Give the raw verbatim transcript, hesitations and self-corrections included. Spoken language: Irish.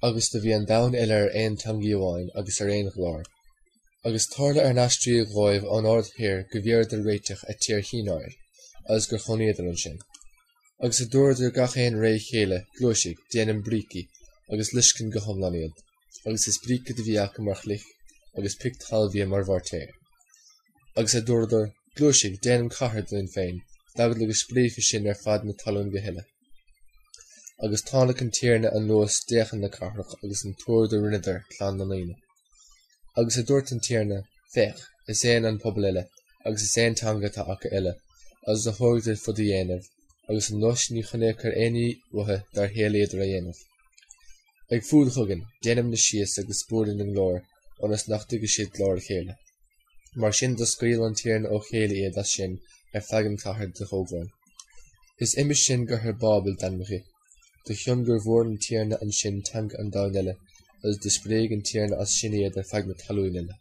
Agus do bhí an domhan uile ar aon teangaidh amháin agus ar aon ghlór. Agus tárla ar n-aistrígh dhóibh ón áird thoir go bhfuaradar réiteach a tír Shineáir, agus gur chónaíodar ansin. Agus a dúradar gach aon ré chéile, Gluaisigh, déanaim brící, agus loisceann go hiomlán iad. Agus is bríce do bhí acu mar chloich, agus pioc talmhaidhe mar mhoirtéar. Agus a dúradar, Gluaisigh, déanaim cathair dúinn féin, d'eagla go spréifí sinn ar fad na talún go huile. Agus táinic an Tiarna anuas d'fhéachaint na cathrach agus an túr do rinneadar clann na ndaoine. Agus a dúirt an Tiarna, Féach, is aon an pobal uile, agus is aon teanga atá acu uile, agus do thógadar fud a dhéanamh, agus anois ní choinneochar aon ní uathu dár shéalaíodar a dhéanamh. Ag fuad chugainn, déanaimne síos agus buaileann a nglór, ionas nach dtuigfidh siad glór a chéile. Mar sin do scaoil an Tiarna ó chéile iad as sin ar feadh an chathair do thógáil. Is uime sin gur thar Bábel d'ainm dhi, de chionn gur bhuail an Tiarna ansin teanga an domhain uile, agus do spréigh an Tiarna as sin iad ar feadh na talún uile.